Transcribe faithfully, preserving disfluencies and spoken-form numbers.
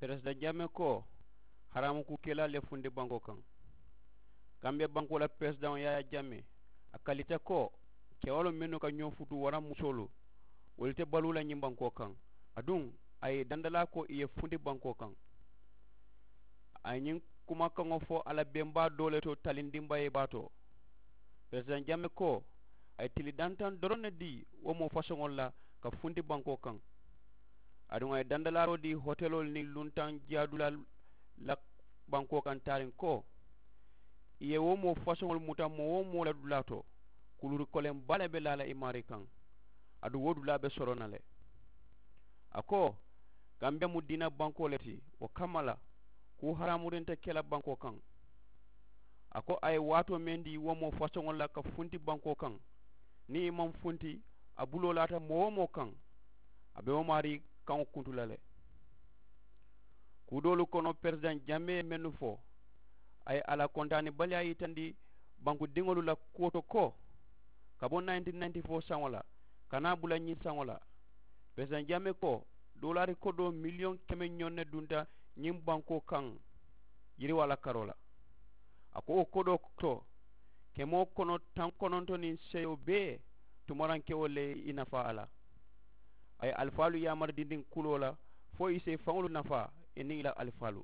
Peresidaŋ jamee ko, haraamu kuu kelaa le funti bankoo kaŋ. Kambiya bankoo la peresidaŋo yaayaa jamee, a kalita ko, kewaloo mennu ka ñoo futuu waraŋ musoolu, wolu te baluu la ñiŋ bankoo kaŋ. Aduŋ a ye i dandalaa ko i ye funti bankoo kaŋ. A ye ñiŋ kumakaŋo fo a la bembaa doo le to talindiŋ bayee baa to. Peresidaŋ jamee ko, a ye tili dantaŋ doroŋ ne dii wo moo fasoŋolu la ka funti bankoo kaŋ. Aduŋ a ye dandalaaroo dii hoteloolu niŋ luntaŋ jiyaadulaalu la bankoo kaŋ taariŋ ko, i ye wo moo fasoŋolu muta moo-wo-moo la dulaa to, kuluuri koleŋ baa le be laa la i maarii kaŋ. Aduŋ wo dulaa be soroŋ na le. A ko, kambiya mu diina bankoo le ti, wo kamma la kuu haraamurinta ke la bankoo kaŋ. A ko a ye waatoo meŋ dii wo moo fasoŋolu la ka funti bankoo kaŋ, niŋ i maŋ funti, a buloo laata moo-wo-moo kaŋ, a be wo maarii kaŋo kuntu la le. Kuu doolu kono peresidaŋ jamee ye mennu fo, a ye a la kontaanibaliyaa yitandi bankudiŋolu la kuwo to ko, ka bo nayinti nayinti foo saŋo la ka naa bula ñiŋ saŋo la. Peresidaŋ jamee ko, doolaari kodoo miliyoŋ keme ñoŋ ne dunta ñiŋ bankoo kaŋ yiriwaa la karoo la. A ko wo kodoo to, kemoo kono taŋ kononto niŋ seyo bee tumaraŋ kewo le ye i nafaa a la. A ye alifaalu yaamari dindiŋ kuloo la fo i si i faŋolu nafaa i niŋ i la alifaalu.